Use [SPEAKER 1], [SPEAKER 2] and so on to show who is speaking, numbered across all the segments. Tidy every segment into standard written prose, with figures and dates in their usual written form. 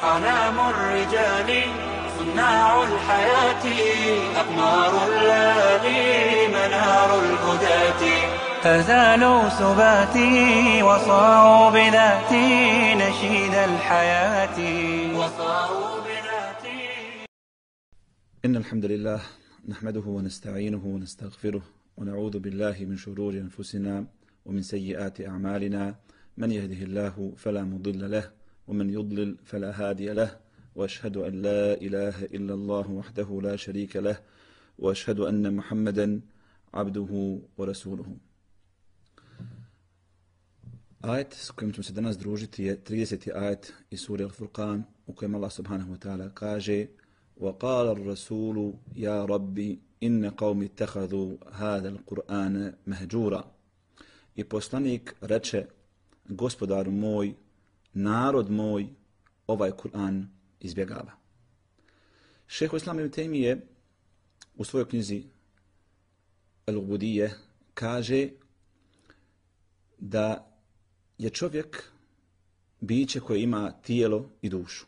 [SPEAKER 1] أعلام الرجال صناع الحياة أقمار الليالي منار الهداة فزالوا سباتي وصاروا بذاتي نشيد الحياة وصاروا بذاتي.
[SPEAKER 2] إن الحمد لله نحمده ونستعينه ونستغفره ونعوذ بالله من شرور أنفسنا ومن سيئات أعمالنا من يهده الله فلا مضل له ومن يضلل فلا هادي له وأشهد أن لا إله إلا الله وحده لا شريك له وأشهد أن محمدا عبده ورسوله. Ajet s kojim ćemo se danas družiti je 30. ajet iz sure Al-Furqan u kojem Allah subhanahu wa ta'ala kaže وَقَالَ الرَّسُولُ يَا رَبِّ إِنَّ قَوْمِ اتَّخَذُوا هَذَا الْقُرْآنَ مَهْجُورًا. I poslanik reče, gospodaru moj, narod moj, ovaj Kur'an izbjegava. Šejh Islam ibn Tejmije u svojoj knjizi Al-Ubudije kaže da je čovjek biće koje ima tijelo i dušu.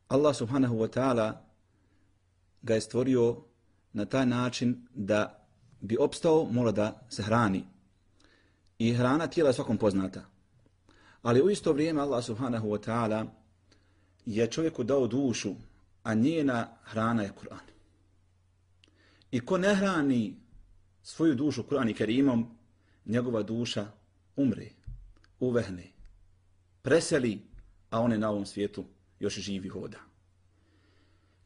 [SPEAKER 2] Allah subhanahu wa ta'ala ga je stvorio na taj način da bi opstao mora da se hrani. I hrana tijela je svakom poznata. Ali u isto vrijeme Allah subhanahu wa ta'ala je čovjeku dao dušu, a njena hrana je Kur'an. I ko ne hrani svoju dušu Kur'an i Kerimom, njegova duša umre, uvehne, preseli, a on je na ovom svijetu još živi hoda.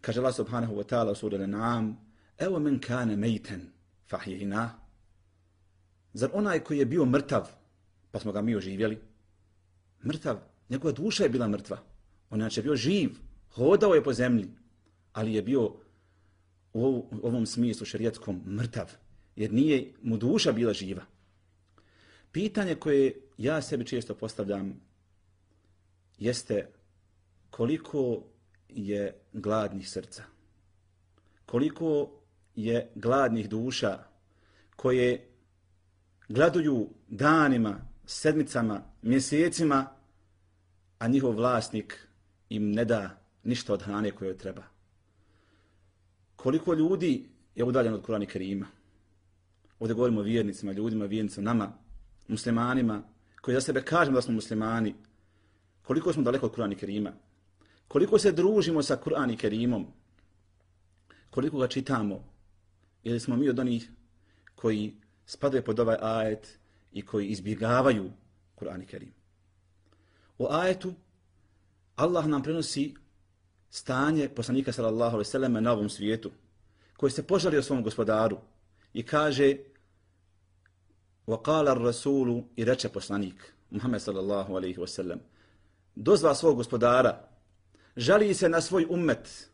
[SPEAKER 2] Kaže Allah subhanahu wa ta'ala u suri Al-An'am, evo men kane mejten fahjina. Zar onaj koji je bio mrtav, pa smo ga mi oživjeli? Mrtav, njegova duša je bila mrtva. On je bio živ, hodao je po zemlji, ali je bio u ovom smislu šerijetskom mrtav, jer nije mu duša bila živa. Pitanje koje ja sebi često postavljam jeste koliko je gladnih srca, koliko je gladnih duša koje gladuju danima, sedmicama, mjesecima, a njihov vlasnik im ne da ništa od hrane koje treba. Koliko ljudi je udaljeno od Kur'ana i Kerima. Ovdje govorimo o vjernicima, ljudima, vjernicima, nama, muslimanima, koji za sebe kažemo da smo muslimani. Koliko smo daleko od Kur'ana i Kerima. Koliko se družimo sa Kur'anom i Kerimom. Koliko ga čitamo. Ili smo mi od onih koji spadaju pod ovaj ajet i koji izbjegavaju Kur'an i Kerim. U ajetu Allah nam prenosi stanje poslanika sallallahu alejhi ve selleme na ovom svijetu, koji se požalio svom gospodaru i kaže وَقَالَ الرَّسُولُ i reče poslanik Muhammed sallallahu alejhi ve sellem, dozva svog gospodara, žali se na svoj ummet,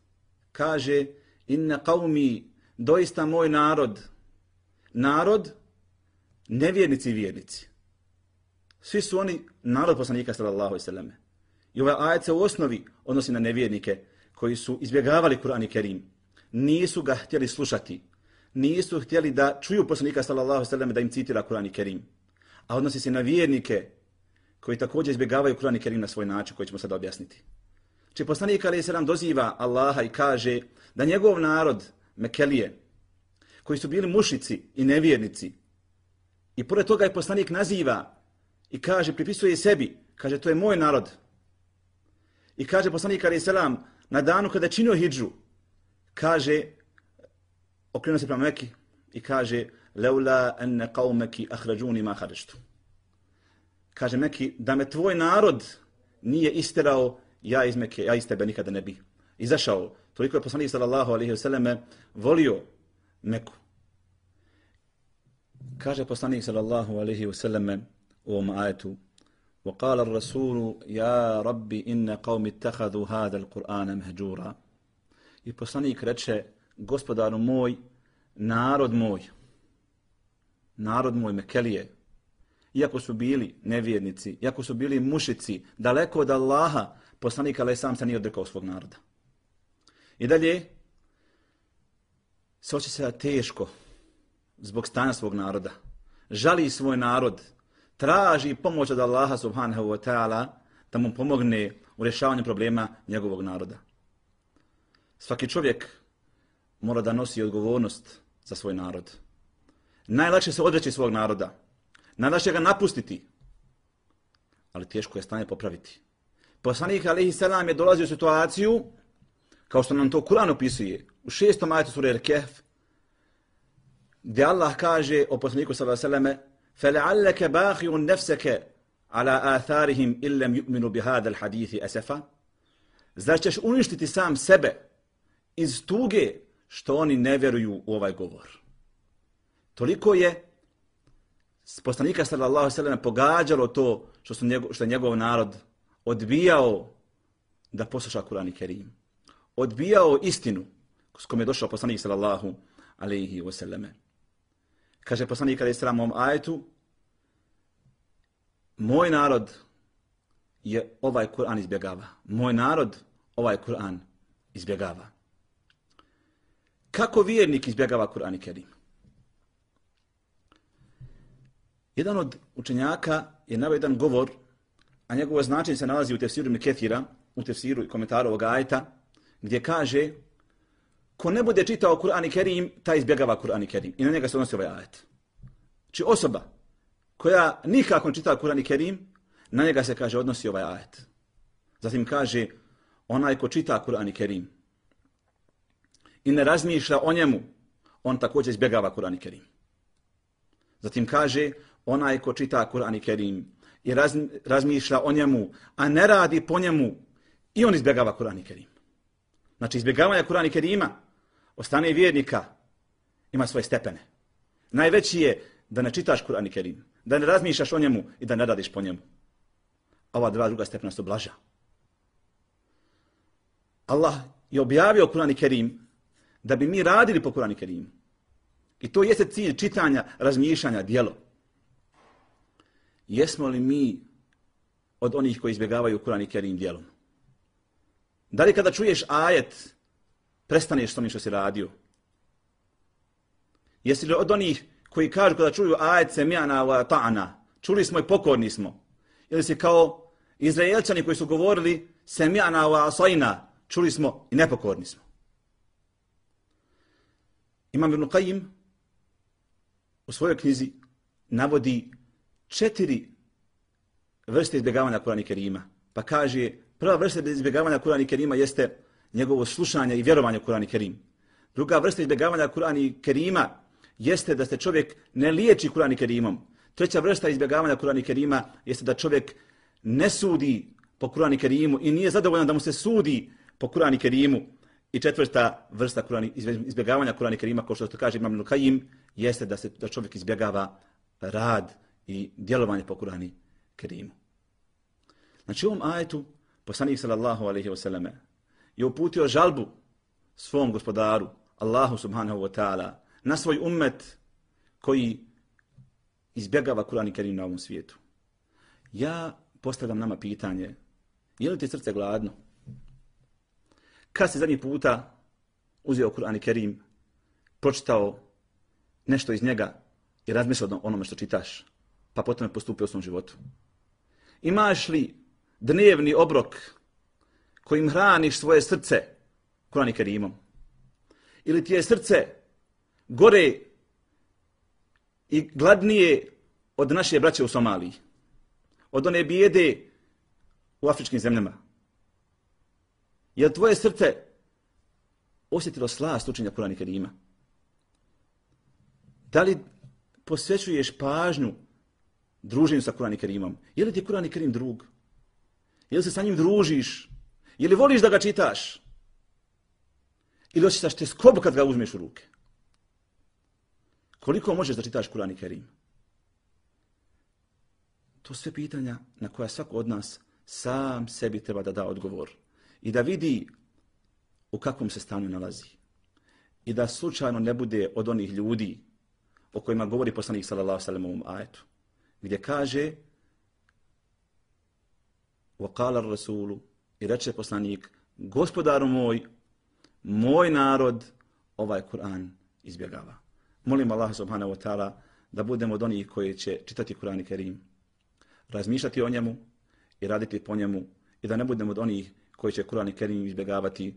[SPEAKER 2] kaže inna qawmi, doista moj narod, nevjernici i vjernici. Svi su oni narod poslanika sallallahu alejhi ve selleme. I ovaj ajet se u osnovi odnosi na nevjernike koji su izbjegavali Kur'an i Kerim. Nisu ga htjeli slušati. Nisu htjeli da čuju poslanika sallallahu alejhi ve selleme da im citira Kur'an i Kerim. A odnosi se na vjernike koji također izbjegavaju Kur'an i Kerim na svoj način koji ćemo sada objasniti. Či poslanik alejhi selam doziva Allaha i kaže da njegov narod Mekelije, koji su bili mušnici i nevjernici, i pored toga je poslanik naziva i kaže, pripisuje sebi, kaže to je moj narod. I kaže poslanik alejhi selam na danu kada je činio hidžu, kaže, okrenuo se prema Meki i kaže leula enne qaumeki ahrajuni ma kharajtu. Kaže Meki, da me tvoj narod nije isterao, ja iz Mekke, ja iz tebe nikada ne bi izašao. Toliko je poslanik sallallahu alejhi ve selleme volio Meku. Kaže poslanik sallallahu alejhi ve selleme u ovom ajetu وَقَالَ الرَّسُولُ يَا رَبِّ إِنَّ قَوْمِ اتَّخَذُوا هَذَا الْقُرْآنَ مَهْجُورًا. I poslanik reče, gospodaru moj, narod moj Mekelije, iako su bili nevjernici, iako su bili mušici, daleko od Allaha, poslanik alejhi selam se nije odrekao svog naroda. I dalje se osjeća teško zbog stanja svog naroda. Žali svoj narod, traži pomoć od Allaha subhanahu wa ta'ala da mu pomogne u rješavanju problema njegovog naroda. Svaki čovjek mora da nosi odgovornost za svoj narod. Najlakše se odreći svog naroda. Najlakše ga napustiti. Ali teško je stanje popraviti. Poslanik alejhi selam je dolazio u situaciju, kao što nam to Kur'an opisuje, u 6. ajetu sure Al-Kahf, gdje Allah kaže o poslaniku sallallahu alejhi ve selleme: فَلَعَلَّكَ بَاخِعٌ نَفْسَكَ عَلَى آثَارِهِمْ إِن لَّمْ يُؤْمِنُوا بِهَذَا الْحَدِيثِ أَسَفًا. Zar ćeš uništiti sam sebe iz tuge što oni ne vjeruju u ovaj govor? Toliko je poslanika sallallahu alejhi ve selleme pogađalo to što je njegov narod odbijao da posluša Kur'an i Kerim. Odbijao istinu s kojom je došao poslanik sallallahu alejhi ve selleme. Kaže poslanik alejhi selam u ovom ajetu: moj narod je ovaj Kur'an izbjegava. Moj narod ovaj Kur'an izbjegava. Kako vjernik izbjegava Kur'an i Kerim? Jedan od učenjaka je naveo jedan govor, a njegovo značenje se nalazi u tefsiru Ibn Kethira, u tefsiru i komentaru ovog ajeta, gdje kaže: ko ne bude čitao Kur'an i Kerim, taj izbjegava Kur'an i Kerim. I na njega se odnosi ovaj ajet. Či osoba koja nikako ne čita Kur'an i Kerim, na njega se kaže odnosi ovaj ajet. Zatim kaže: onaj ko čita Kur'an i Kerim i ne razmišlja o njemu, on također izbjegava Kur'an i Kerim. Zatim kaže: onaj ko čita Kur'an i Kerim i razmišlja o njemu, a ne radi po njemu, i on izbjegava Kur'an i Kerim. Znači, izbjegavanje Kur'ana i Kerima od strane vjernika ima svoje stepene. Najveći je da ne čitaš Kur'an i Kerim, da ne razmišljaš o njemu i da ne radiš po njemu. Ova druga stepena su blaža. Allah je objavio Kur'an i Kerim da bi mi radili po Kur'an i Kerimu. I to jeste cilj čitanja, razmišljanja, djelo. Jesmo li mi od onih koji izbjegavaju Kur'an i Kerim djelom? Da li kada čuješ ajet, prestaneš s onim što si radio? Jesi li od onih koji kažu kada čuju ajet semi'na wa ta'na, čuli smo i pokorni smo? Ili si kao Izraelčani koji su govorili semi'na wa asajna, čuli smo i nepokorni smo? Imam Ibn Qayyim u svojoj knjizi navodi 4 vrste izbjegavanja Kur'ana i Kerima. Pa kaže: prva vrsta izbjegavanja Kur'ana i Kerima jeste njegovo slušanje i vjerovanje u Kur'an i Kerim. Druga vrsta izbjegavanja Kur'ana i Kerima jeste da se čovjek ne liječi Kur'an i Kerimom. Treća vrsta izbjegavanja Kur'ana i Kerima jeste da čovjek ne sudi po Kur'an i Kerimu i nije zadovoljan da mu se sudi po Kur'an i Kerimu. I četvrta vrsta izbjegavanja Kur'ana i Kerima, kao što kaže Imam Ibn Qayyim, jeste da čovjek izbjegava rad i djelovanje po Kur'anu i Kerimu. Znači, u ovom ajetu poslanik sallallahu alejhi ve selleme je uputio žalbu svom gospodaru, Allahu subhanahu wa ta'ala, na svoj ummet koji izbjegava Kur'an i Kerim na ovom svijetu. Ja postavljam nama pitanje: je li ti srce gladno? Kad si zadnji puta uzeo Kur'an i Kerim, pročitao nešto iz njega i razmislio o onome što čitaš, pa potom je postupio u svom životu? Imaš li dnevni obrok kojim hraniš svoje srce Kur'an i Kerimom? Ili ti je srce gore i gladnije od naše braće u Somaliji, od one bijede u afričkim zemljama? Je li tvoje srce osjetilo slast učenja Kur'ana i Kerima? Da li posvećuješ pažnju druženju sa Kur'an i Kerimom? Je li ti Kur'an i Kerim drug? Je li se sa njim družiš? Je li voliš da ga čitaš? Ili osjećaš tjeskobu kad ga uzmeš u ruke? Koliko možeš da čitaš Kur'an i Kerim? To sve pitanja na koja svako od nas sam sebi treba da da odgovor. I da vidi u kakvom se stanju nalazi. I da slučajno ne bude od onih ljudi o kojima govori poslanik sallallahu alejhi ve sellem u ovom ajetu, gdje kaže: وَقَالَ الرَّسُولُ, i reče poslanik: gospodaru moj, moj narod ovaj Kur'an izbjegava. Molim Allah subhanahu wa ta'ala da budemo od onih koji će čitati Kur'an i Kerim, razmišljati o njemu i raditi po njemu i da ne budemo od onih koji će Kur'an i Kerim izbjegavati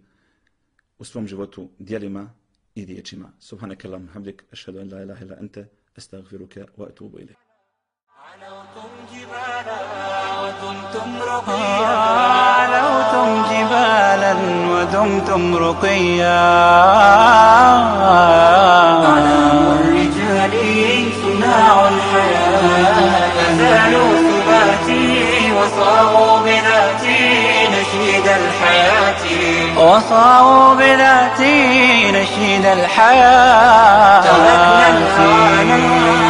[SPEAKER 2] u svom životu djelima i riječima. Subhanaka Allahumma hamdik, ashhadu an la ilaha illa anta, astaghfiruka wa atubu ilayk.
[SPEAKER 1] علوتم جبالا ودمتم رقيا أعلام الرجال صناع الحياة أزالوا ثباتي وصاروا بذاتي نشيد الحياة وصاروا بذاتي نشيد الحياة تركنا الهوانا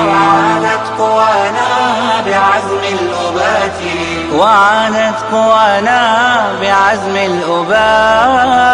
[SPEAKER 1] وعادت قوانا بعزم الأبات وعادت قوانا بعزم الأبات